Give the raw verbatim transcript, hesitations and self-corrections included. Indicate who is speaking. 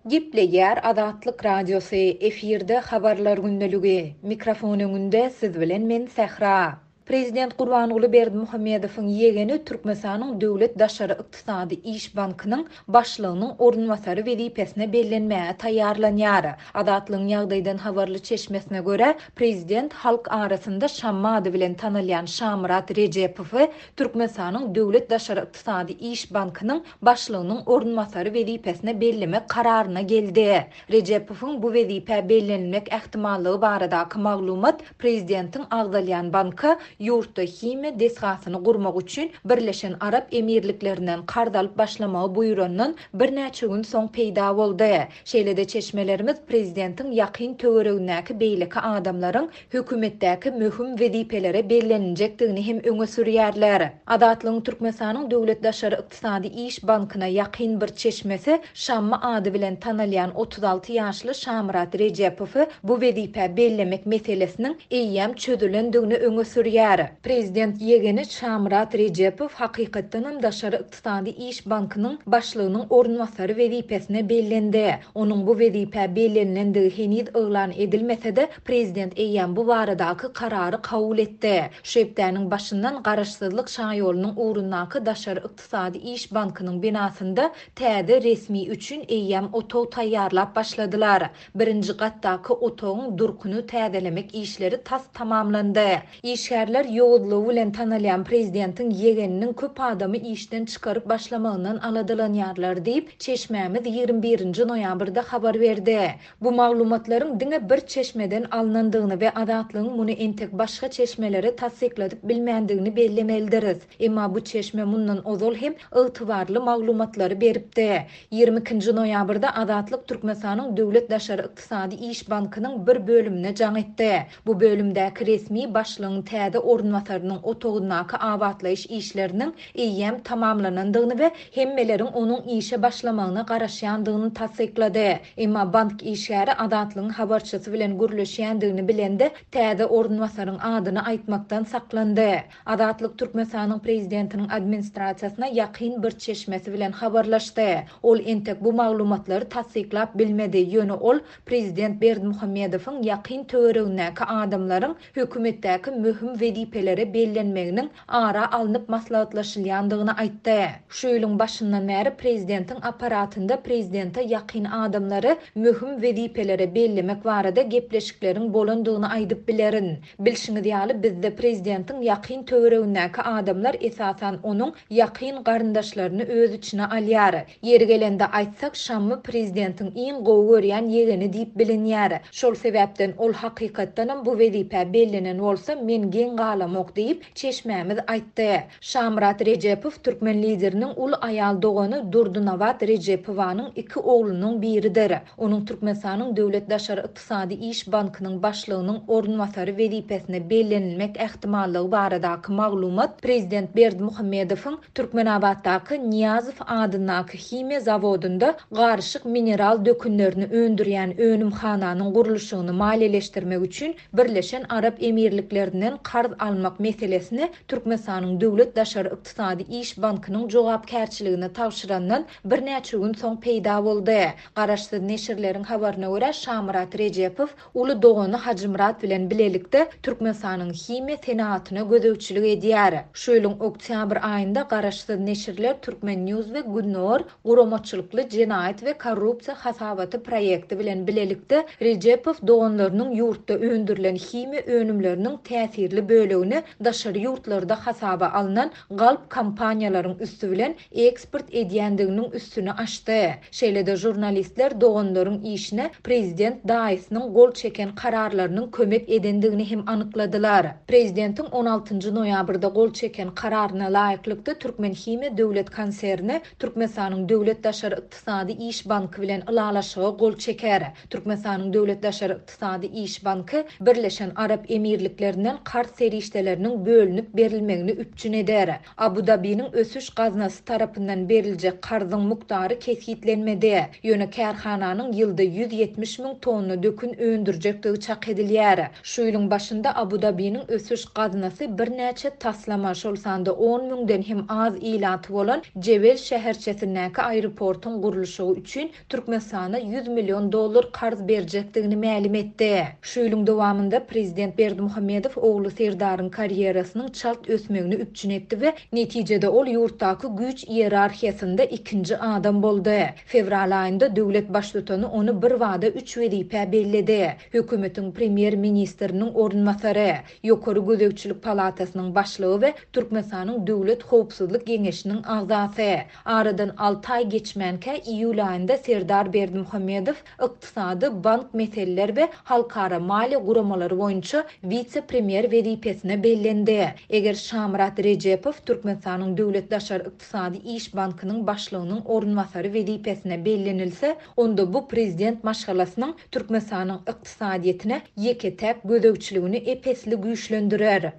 Speaker 1: Gepleýär Azatlyk Radiosy, efirde Habarlar gündeligi. Mikrofon öňünde siz bilen men Sähra. Prezident Gurbanguly Berdimuhamedowyň ýegeni Türkmenistanyň Döwlet daşary ykdysady iş bankynyň başlygynyň orunbasary wezipesine bellenmäge taýýarlanýar. Azatlygyň ýagdaýdan habarly çeşmesine görä, prezident halk arasynda Şammy ady bilen tanalýan Şamyrat Rejepowy Türkmenistanyň Döwlet daşary ykdysady iş bankynyň başlygynyň orunbasary wezipesine bellemek kararyna geldi. Rejepowyň bu wezipä bellenilmek ähtimallygy baradaky maglumat prezidentiň agzalýan banka ýurtda himiýa desgasyny gurmak üçin Birleşen Arap Emirliklerinden karz alyp başlamagy buýrandan birnäçe gün soň peýda boldy. Şeýle-de çeşmelerimiz prezidentiň ýakyn töweregindäki beýleki adamlaryň hökümetdäki möhüm wezipelere belleniljekdigini hem öňe sürýärler. Azatlygyň Türkmenistanyň Döwlet daşary ykdysady iş bankyna ýakyn bir çeşmesi Şammy ady bilen tanalýan otuz alty ýaşly Şamyrat Rejepowy bu wezipä bellemek meselesiniň eýýäm çözülendigini öňe sürýär. Prezident ýegeni Şamyrat Rejepow hakykatdanam Daşary ykdysady iş bankynyň başlygynyň orunbasary wezipesine bellendi. Onuň bu wezipä bellenilendigi heniz yglan edilmese-de, prezident eýýäm bu baradaky karary kabul etdi. Şu hepdäniň başyndan Garaşsyzlyk şaýolunyň ugrundaky Daşary ykdysady iş bankynyň binasynda täze resmi üçin eýýäm otag taýýarlap başladylar. Birinji gatdaky otagyň durkuny täzelemek işleri tas tamamlandy. Işgärler ýowuzlygy bilen tanalýan prezidentiň ýegeniniň köp adamy işden çykaryp başlamagyndan aladalanýarlar diýip, çeşmämiz ýigrimi birinji noýabrda habar berdi. Bu maglumatlaryň diňe bir çeşmeden alnandygyny we Azatlygyň muny entek başga çeşmelere tassykladyp bilmändigini bellemelidiris. Emma bu çeşme mundan ozal hem ygtybarly maglumatlary beripdi. Ýigrimi ikinji noýabrda Azatlyk Türkmenistanyň Döwlet daşary ykdysady iş bankynyň bir bölümine jaň etdi. Bu bölümdäki resmi başlygyň täze orunbasarynyň otagyndaky abatlaýyş işleriniň eýýäm tamamlanandygyny we hemmeleriň onuň işe başlamagyna garaşýandygyny tassyklady. Emma bank işgäri Azatlygyň habarçysy bilen gürleşýändigini bilende täze orunbasaryň adyny aýtmakdan saklandy. Azatlyk Türkmenistanyň prezidentiniň administrasiýasyna ýakyn bir çeşmesi bilen habarlaşdy. Ol entek bu maglumatlary tassyklap bilmedi. Ýöne ol prezident Berdimuhamedowyň ýakyn töweregindäki adamlaryň hökümetdäki möhüm wezipelere bellenmeginiň ara alnyp maslahatlaşylýandygyny aýtdy. Şu ýylyň başyndan bäri prezidentiň aparatynda prezidente ýakyn adamlary möhüm wezipelere bellemek barada gepleşikleriň bolandygyny aýdyp bilerin. Bilşiňiz ýaly bizde prezidentiň ýakyn töweregindäki adamlar esasan onuň ýakyn garyndaşlaryny öz içine alýar. Ýeri gelende aýtsak, Şammy prezidentiň iň gowy görýän ýegeni diýip bilinýär. Şol sebäpden ol hakykatdanam bu wezipä bellenen bolsa men geň galamok diýip çeşmämiz aýtdy. Şamyrat Rejepow türkmen lideriniň uly aýal dogany Durdynabat Rejepowanyň iki oglunyň biridir. Onuň Türkmenistanyň Döwlet daşary ykdysady iş bankynyň başlygynyň orunbasary wezipesine bellenilmek ähtimallygy baradaky maglumat prezident Berdimuhamedowyň Türkmenabatdaky Niýazow adyndaky himiýa zawodynda garyşyk mineral dökünlerini öndürýän önümhananyň gurluşygyny maliýeleşdirmek üçin Birleşen Arap Emirliklerinden karz almak meselesini Türkmenistanyň Döwlet daşary ykdysady iş bankynyň jogapkärçiligine tabşyrandan birnäçe gün soň peýda boldy. Garaşsyz neşirleriň habaryna görä Şamyrat Rejepow uly dogany Hajymyrat bilen bilelikde Türkmenistanyň himiýa senaatyna gözegçilik edýär. Şu ýylyň oktýabr aýynda garaşsyz neşirler Türkmen News we Günnor guramaçylykly jenaýat we korrupsiýa hasabaty proýekti bilen bilelikde Rejepow doganlarynyň ýurtda öndürilen himiýa önümleriniň täsirli bölegini daşary ýurtlarda hasaba alnan galp kompaniýalaryň üstü bilen eksport edýändiginiň üstüni açdy. Şeýle-de jurnalistler doganlaryň işine prezident daýysynyň gol çeken kararlarynyň kömek edendigini hem anykladylar. Prezidentiň on altynjy noýabrda gol çeken kararyna laýyklykda Türkmen Himiýa Döwlet Konserni Türkmenistanyň Döwlet Daşary Ykdysady Iş Banky bilen ylalaşyga gol çeker. Türkmenistanyň Döwlet Daşary Ykdysady Iş Banky Birleşen Arap Emirliklerinden karz serişdeleri serişdeleriniň bölünip berilmegini üpjün eder. Abu-Dabiniň Ösüş gaznasy tarapyndan beriljek karzyň mukdary kesgitlenmedi, ýöne kärhananyň ýylda ýüz ýetmiş müň tonna dökün öndürjekdigi çak edilýär. Şu ýylyň başynda Abu-Dabiniň Ösüş gaznasy birnäçe taslama, şol sanda on müňden hem az ilaty bolan Jebel şäherçesindäki aeroportuň gurluşygy üçin Türkmenistana ýüz million dollar karz berjekdigini mälim etdi. Şu ýylyň dowamynda prezident Berdimuhamedow ogly Serdaryň karýerasynyň çalt ösmegini üpjün etdi we netijede ol ýurtdaky güýç iýerarhiýasynda ikinji adam boldy. Fewral aýynda döwlet baştutany ony birbada üç wezipä belledi. Hökümetiň premýer-ministriniň orunbasary, Ýokary gözegçilik palatasynyň başlygy we Türkmenistanyň Döwlet howpsuzlyk geňeşiniň agzasy. Aradan alty aý geçmänkä iýul aýynda Serdar Berdimuhamedow ykdysady, bank meseleler we halkara maliýe guramalary boýunça wise-premýer wezipesine bellendi. Eger Şamyrat Rejepow Türkmenistanyň Döwlet daşary ykdysady iş bankynyň başlygynyň orunbasary wezipesine bellenilse, onda bu prezident maşgalasynyň Türkmenistanyň ykdysadyýetine ýeke-täk gözegçiligini ep-esli güýçlendirer.